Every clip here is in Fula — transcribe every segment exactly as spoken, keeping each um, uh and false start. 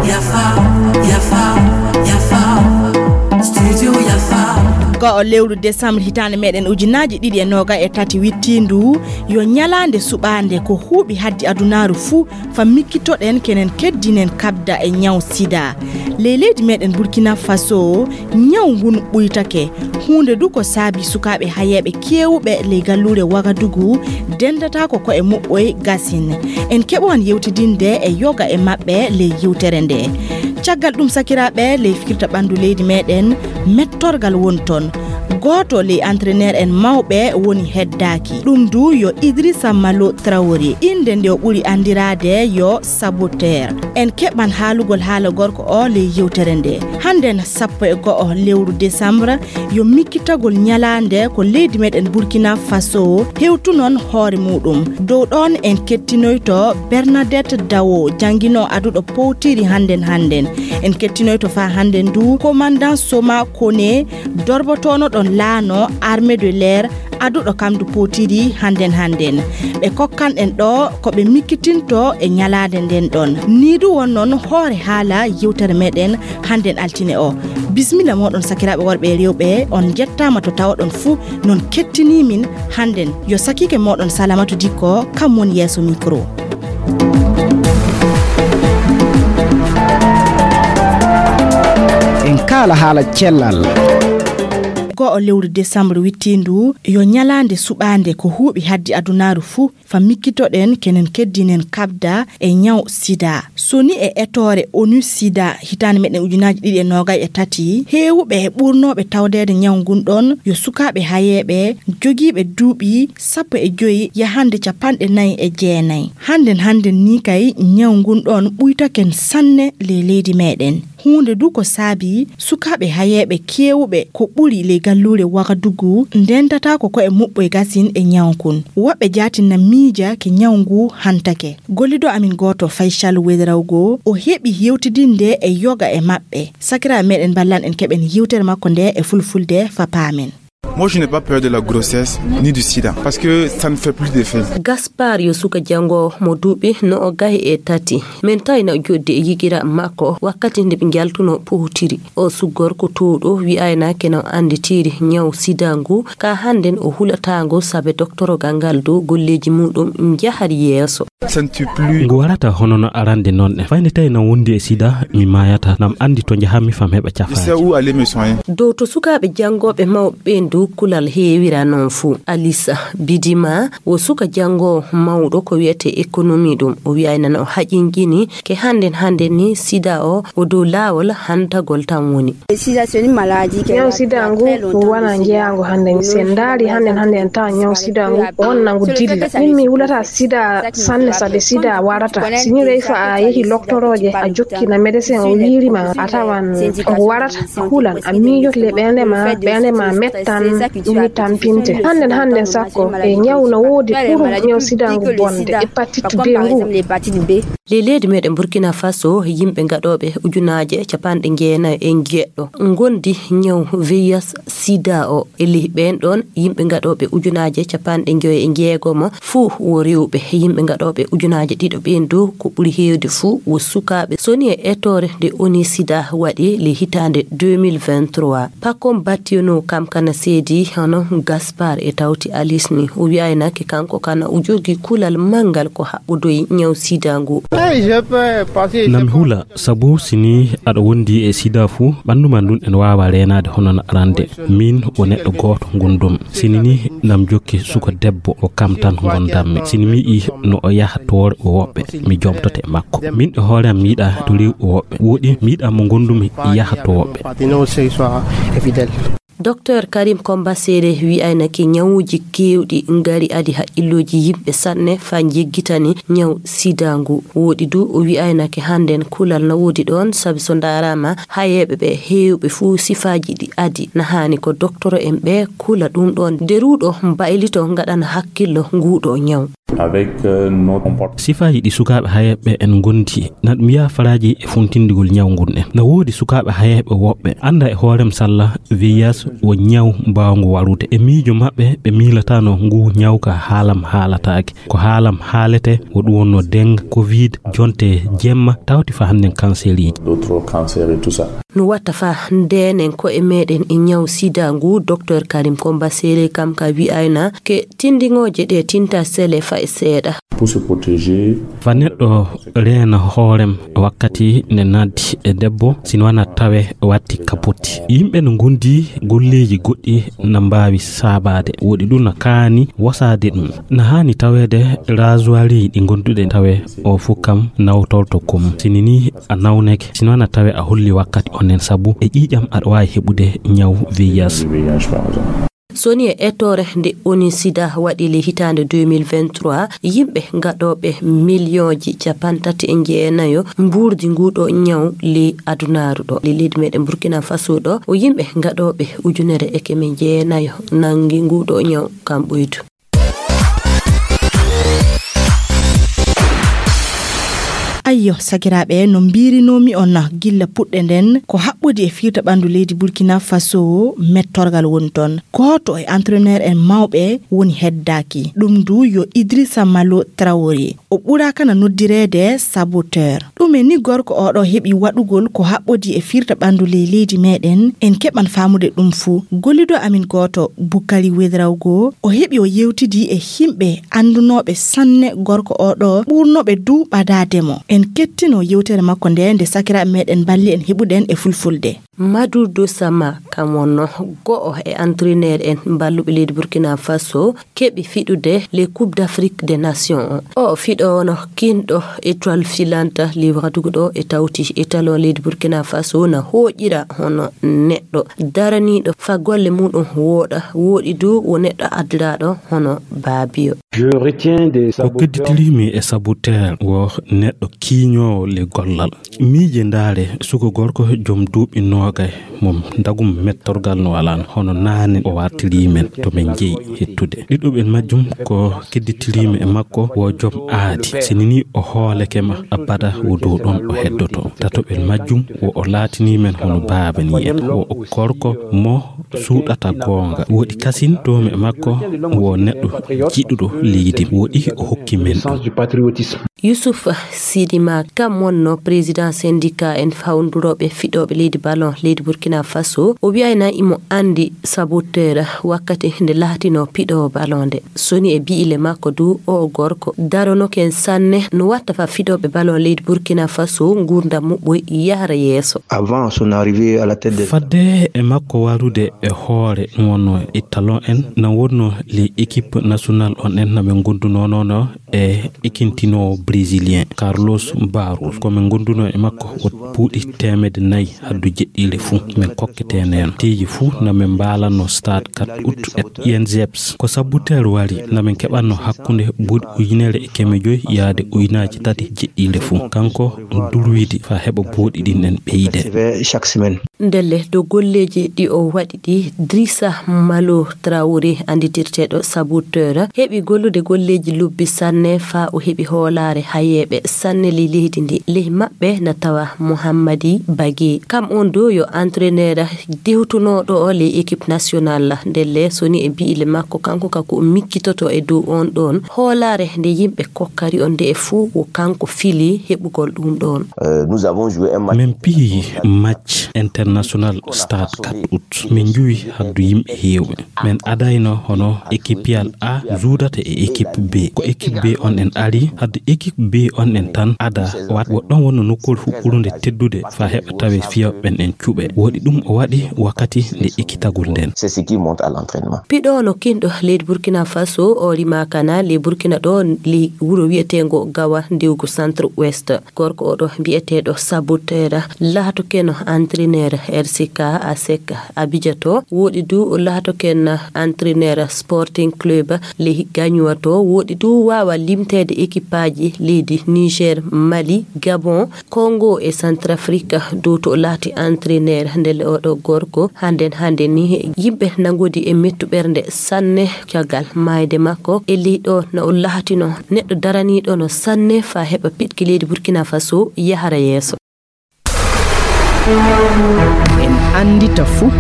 Yafa, yafa, yafa. Studio yafa. Go'o lewru décembre hitaande meɗen ujunaaji ɗiɗi e noogayi e tati wittiindu yo ñalaande suɓaande ko huuɓi haddi adunaaru fuu fa mikkitoɗen kenen keddinen kabda e ñaw sida. Ley leydi meɗen Burkina Faso, ñaw ngun ɓuytake. Huunde du ko saabi sukaaɓe hayeeɓe keewuɓe ley galluure Wagadugu dendataako ko e muɓɓoy gasin. En keɓowan yewtidinde e yoga e maɓɓe ley yewtere nde. Caggal ɗum, sakiraaɓe, ley fikirta ɓanndu leydi meɗen, mettorgal woni toon. Gooto ley entraîneur en mawɓe woni heddaaki. Ɗum du yo Idrissa Malo Traoré. Innde nde o ɓuri anndiraade yo Saboteur. En keɓan haalugol haala gorko o ley yewtere nde. Hannden sappo e go'o lewru décembre, yo mikkitagol ñalaande ko leydi meɗen Burkina Faso hewtunon hoore muɗum. Dow ɗon en kettinoyto Bernadette Dawo, jannginoo aduɗo powtiri hannden hannden. En kettinoyto faa hannden du commandant Soma Kone, dorbotoono ɗon laano armée de l'air, aduɗo kam du powtiri hannden hannden. Ɓe kokkan en ɗo ko ɓe mikkitinto e ñalaande nden ɗon. Nii du wonnon hoore haala yewtere meɗen hannden altine o. Bismilla moɗon sakiraaɓe worɓe e rewɓe, on jettaama to tawoɗon fuu, non kettinii min hannden. Yo sakiike moɗon Salamatu Dikko, kam woni yeeso micro. En kaala haala cellal. Go'o lewru décembre wittiindu yo ñalaande suɓaande ko huuɓi haddi adunaaru fuu, fa mikkitoɗen kenen keddinen kabda e ñaw sida. So ni e etoore onu sida hitaande meɗen ujunaaji ɗiɗi e noogayi e tati, heewuɓe e ɓurnooɓe tawdeede ñaw ngun ɗon yo sukaaɓe hayeeɓe jogiiɓe duuɓi sappo e joyi yahande capanɗe nayi e jeenayi. Hannden hannden ni kay ñaw ngun ɗon ɓuytaken sanne ley leydi meɗen. Huunde du ko saabi sukaaɓe hayeeɓe keewuɓe ko ɓuri ley galluure Wagadugu ndentataako ko e muɓɓoy gasin e ñaw kun. Woɓɓe jaatin na miija ke ñaw ngu hantake. Gollido amin gooto Faysal Wedrawgo o heɓi yewtidinde e yoga e maɓɓe. Sakiraaɓe meɗen ballan en keɓen yewtere makko nde e fulfulde fa paamen. Moi, je n'ai pas peur de la grossesse ni du sida parce que ça ne fait plus d'effet. Gaspar yo suka jango mo duuɓi no o gahi e tati. Min tawi na joddi e yigira makko wakkati nde ɓe njaltuno powtiri. O suggor ko towɗo wi'ayna ke no annditiri ñaw sida ngu ka hannden o hulatango sabe doktorogal ngal dow golleeji muɗum njahar yeeso. Ça ne tue plus. Ngu warata hono no arande noon ne. Fayde tawi na wondi e sida, mi maayata. Nam anndi to njahammi fam heɓa cafaaji. Je sais où aller me soigner. Dow to sukaaɓe janngooɓe mawɓe ɓeen dow kulal heewira noon fuu. Alisa Bidima wo suka janngoowo mawɗo ko wiyetee économie ɗum. O wi'ay nana o haƴinjini ke hannden hannden ni sida o, o dow laawol hantagol tan woni. Ñaw sida ngu wona jeyaango hannde. Si en ndaari hannden hannde en tawa ñaw sida ngu wonna ngu dilla. Min mi hulata sida sanne sabi sida warata. Si ni rey fa a yehi loktorooje a jokki na médecin o wiiri ma a tawan ngu warata a hulan a miijoto le ɓernde ma ɓernde ma mettan ɗum ni tampinte. Hannden hannden sakko e ñaw no woodi ɓuru ñaw sida ngu bonde hépatite B ngu. Ley leydi meɗen Burkina Faso, yimɓe gaɗooɓe ujunaaje capanɗe jeenayi e jeɗɗo ngondi ñaw V I H sida o. E ley ɓeen ɗoon yimɓe gaɗooɓe ujunaaje capanɗe joyi e jeegomo fuu wo rewɓe. Yimɓe gaɗooɓe ujunaaje ɗiɗo ɓeen dow ko ɓuri heewde fuu wo sukaaɓe. So ni e etoore nde oni sida waɗi le hitaande deux mille vingt-trois. Pakom battiyono kam kana seedi hono Gaspar e tawti Alice ni. O wi'aynake kanko kana o jogii kulal manngal ko haɓɓodoyi ñaw sida ngu. Nam hula, sabu si ni aɗa wondi e sida fuu, ɓanndu ma ndun ene waawa reenaade hono no arande. Min wo neɗɗo gooto ngondumi. Si ni ni nam jokki suka debbo, ko kam tan ngondanmi. Si ni mi yi'i no o yaha to woɓɓe, mi jomtoto e makko. Min e hoore am mi yiɗa to rewɓe woɓɓe. Wooɗi mi yiɗa mo ngondumi yaha to woɓɓe. Docteur Karim Komba Sere wi'aynake ñawuuji keewɗi ngari adi haqqillooji yimɓe sanne faa njeggitani ñaw sida ngu. Wooɗi du o wi'aynake hannden kulal na woodi ɗoon, sabi so ndaaraama hayeeɓe ɓe heewɓe fuu sifaaji ɗi adi na haani ko doktoro en ɓe kula ɗum ɗoon. Nde ruuɗo mbaylito ngaɗana hakkillo nguuɗo ñaw. Avec, euh, nos comportements. Sifaaji ɗi sukaaɓe hayeeɓe en ngondi, na ɗum yaha faraaji e funtindigol ñaw ngun en. Na woodi sukaaɓe hayeeɓe woɓɓe annda e hoorem salla V I H wo ñaw mbaawngu warude. E miijo maɓɓe, ɓe miilatano ngu ñaw ka haalam haalataake. Ko haalam haalete, wo ɗum wonno dengue, covid, jonte jemma, tawti fa hannden cancer iji. D'autres cancers et tout ça. No watta fa ndeenen ko'e meɗen e ñaw sida ngu, Docteur Karim Komba Sele kam ka wi'ayna ke tindiŋooje ɗe tinta sele fay seeɗa. Pour se protéger. Fa neɗɗo reena hoorem wakkati nde naddi e debbo, sino wana tawe watti kapoti. Yimɓe no ngondi golleeji goɗɗi na mbaawi saabaade. Woɗi ɗum na kaani wosaade ɗum. Na haani taweede rasoir ɗi gonduɗe tawe o fu kam nawtorto kom. Sini ni a nawneke, sino na tawe a holli wakkati onnen sabu e ƴiiƴam aɗa waawi heɓude ñaw V I H. Soni e ettoore nde ONU sida waɗi le hitaande deux mille vingt-trois, yimɓe gaɗooɓe miliyonji capantati e jeenayo mbuurdi nguɗo ñaw le adunaaru ɗo. Le leydi meɗen Burkina Faso ɗo, o yimɓe gaɗooɓe ujunere e keme jeenayo nangi nguɗo ñaw kam ɓoydu. Ayyo, sakiraaɓe, no mbiirinoomi on gilla puɗɗe nden, ko haɓɓodi e fiirta ɓanndu leydi Burkina Faso, mettorgal woni toon. Gooto e entraîneur en mawɓe woni heddaaki. Ɗum ndu yo Idrissa Malo Traoré. O ɓuraaka na noddireede saboteur. Ɗume ni gorko oɗo heɓi waɗugol ko haɓɓodi e fiirta ɓanndu ley leydi meɗen? En keɓan faamude ɗum fuu. Gollido amin gooto, Bukari Wedrawgo, o heɓi o yewtidi e himɓe anndunooɓe sanne gorko oɗo, ɓurnooɓe du ɓadaade mo. En kettino yewtere makko nde, nde sakiraaɓe meɗen mballi en heɓude en e fulfulde. Madou Dosama, kam wonno go'o e entraîneur en mballuɓe leydi Burkina Faso, keɓi fiɗude les Coupes d'Afrique des Nations o. O fiɗo ono kinɗo étoile filante, le waɗugo ɗo e tawti étalon leydi Burkina Faso na hooƴira hono neɗɗo daraniiɗo fa golle muɗum wooɗa, wooɗi du wo neɗɗo addiraaɗo hono baabiyo. Je retiens des Ko saboteurs. Kedditiriimi e saboteur wo neɗɗo kiiñoowo le gollal. Miije ndaare, suko gorko joom duuɓi noogay, mo ndagum mettorgal no alaan, hono naane o wartirii men to men jeyi hettude. Ɗiɗuɓel majjum ko kedditiriimi e makko wo joom aadi. Sini ni o hooleke ma, abada wo dow ɗon o heddoto. Tatoɓel majjum wo o laatinii men hono baaba ni en. Wo o gorko mo suuɗata goonga. Woɗi kasin doomi e makko wo neɗɗo jiɗuɗo leydi. Woɗi o hokki men ɗum. Yusuf Sidima, kam wonno président syndicat en hawndurooɓe fiɗooɓe leydi ballon leydi Burkina Faso. O wiyayna imo anndi saboteur wakkati nde laatino piɗoowo ballon nde. Soni e bi'ile makko du, o gorko daronoken sanne no watta fa fiɗooɓe ballon leydi Burkina Faso nguurndam muɓɓoy yahra yeeso. Avant son arrivée à la tête des Fadde e makko warude e hoore wonno e talon en, na wonno les équipes nationales on en na ɓe gondunoono e ikintinoowo brésilien Carlos Barros. Ko min gondunoo e makko o buuɗi teemedde nayi haddu jeɗɗiire fuu. Min kokketeeneen teeji fuu na min mbaalanno stade quatre août et I N G P S. Ko saboteur wari na min keɓanno hakkunde buuɗi ujunere e keme joyi yaade ujunaaji tati jeɗɗiire fuu. Kanko durwidi fa heɓa buuɗi ɗin en ɓeyde. Chaque semaine. Ndelle, dow golleeji ɗi o waɗi ɗi, Drissa Malo Traoré, annditirteeɗo Saboteur, heɓi gollude golleeji lobbi sanne, faa o heɓi hoolaare hayeeɓe sanne ley leydi ndi. Ley maɓɓe na tawa Mohammadi Bage. Kam on dow yo entraîneur dewtunooɗo o ley équipe nationale. Ndelle, soni e bi'ile makko, kanko ka ko o miccitoto e dow on ɗon hoolaare nde yimɓe kokkari on, nde e fuu wo kanko fili heɓugol ɗum ɗon. Euh, nous avons joué un match Min piyi match international stade quatre août. Min njuwi haddu yimɓe heewɓe. Min adayno hono équipe A juudata e équipe B. Ko équipe B on en ari, haddu équipe B on en tan ada wat. Wo ɗon wonno nokkuure fu ɓurunde teddude fa heɓa tawe fiyooɓe ɓen en cuɓe. Woɗi ɗum o waɗi wakkati nde ekkitagol nden. C'est ce qui monte à l'entraînement. Piɗo no kinɗo leydi Burkina Faso, o rimaaka na ley Burkina ɗo, ley wuro wi'eteengo Gawa, ndewgo Centre Ouest. Gorko oɗo mbi'eteeɗo Saboteur, laatokeno entraîneur R C K A S E C Abidjan to, woɗi du laatoken entraîneur Sporting Club Lehiganywa to, woɗi du waawa limteede équipe aji leydi Niger, Mali, Gabon, Congo e Centrafrique. Dow to o laati entraîneur ndelle oɗo gorko, hannden hannde ni yimɓe na ngodi e mettu ɓernde sanne caggal maayde makko. E ley ɗo na o laatino neɗɗo daraniiɗo no sanne faa heɓa piɗki leydi Burkina Faso yahara yeeso. En anndita fuu.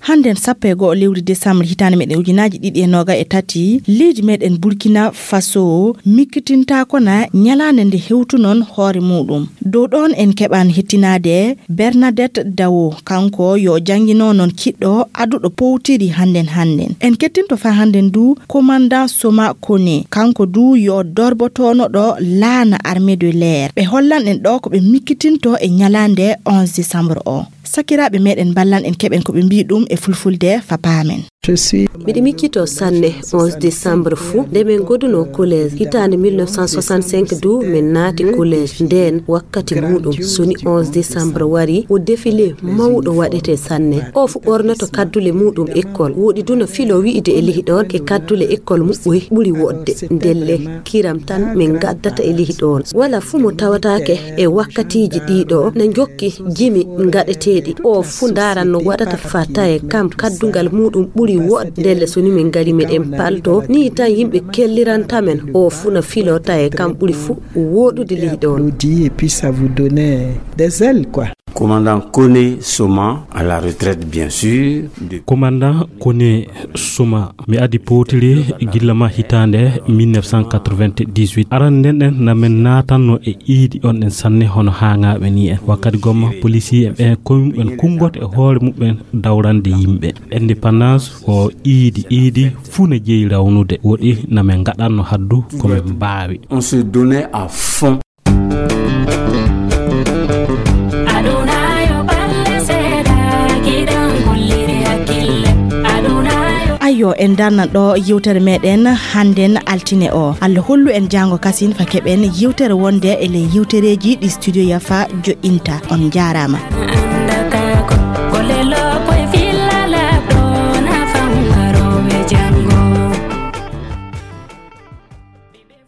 Hannden sappo e go'o lewru desambar hitaande meɗen ujunaaji ɗiɗi e nooga e tati, leydi meɗen Burkina Faso mikkitintaako na ñalaande nde hewtunon hoore muuɗum. Dow ɗoon en keɓan hettinaade Bernadette Dawo, kanko yo janngino noon kiɗɗo aduɗo powtiri hannden hannden. En kettinto faa hannden du Commandant Soma Kone, kanko du yo dorbotoonoɗo laana Armée de l'Air. Ɓe hollan en ɗo ko ɓe mikkitinto e ñalaande onze décembre o. Sakiraaɓe meɗen mballan en keɓen ko ɓe mbii ɗum e fulfulde faa paamen. Miɗo miccitoo sanne onze décembre fuu, nde min ngodunoo collège hitaande mille neuf cent soixante-cinq du, min naati collège. Ndeen wakkati muuɗum, so ni onze décembre warii, o défilé mawɗo waɗetee sanne. O fuu ɓornoto kaddule muuɗum école. Woɗi du na filoo wi'ude e ley ɗoon ke kaddule école muɓɓoy ɓuri woɗde. Ndelle kiram tan min ngaddata e ley ɗoon. Walaa fuu mo tawataake e wakkatiiji ɗii ɗo na njokki jimi ngaɗeteeɗi. O fuu ndaaran no waɗata faa tawee kam kaddungal muuɗum ɓuri woɗde. Ndelle so ni min ngarii meɗen paltoo, nii tan yimɓe kelliranta men. O fuu na filoo tawee kam ɓuri fuu woɗude ley ɗoon. Applaudit et puis ça vous donne des ailes, quoi. Commandant Kone Soma, à la retraite, bien sûr. De- Commandant Kone Soma, mi adii powtiri gilla ma hitaande mille neuf cent quatre-vingt-dix-huit. Aran nden ɗen na min naatanno e iidi on ɗen sanne hono haaŋaaɓe ni en. Wakkati gomma policier en ɓen koymuɓen kunngoto e hoore muɓɓen dawrande yimɓe. Indépendance ko iidi, iidi fuu ne jeyi rawnude. Woɗi na min ngaɗanno haddu ko min mbaawi. On se donnait à fond. Ayyo, en darnan ɗo yewtere meɗen hannden altine o. Allah hollu en jaango kasin fa keɓen yewtere wonde e ley yewtereeji ɗi Studio Yafa joɗɗinta. On njaaraama.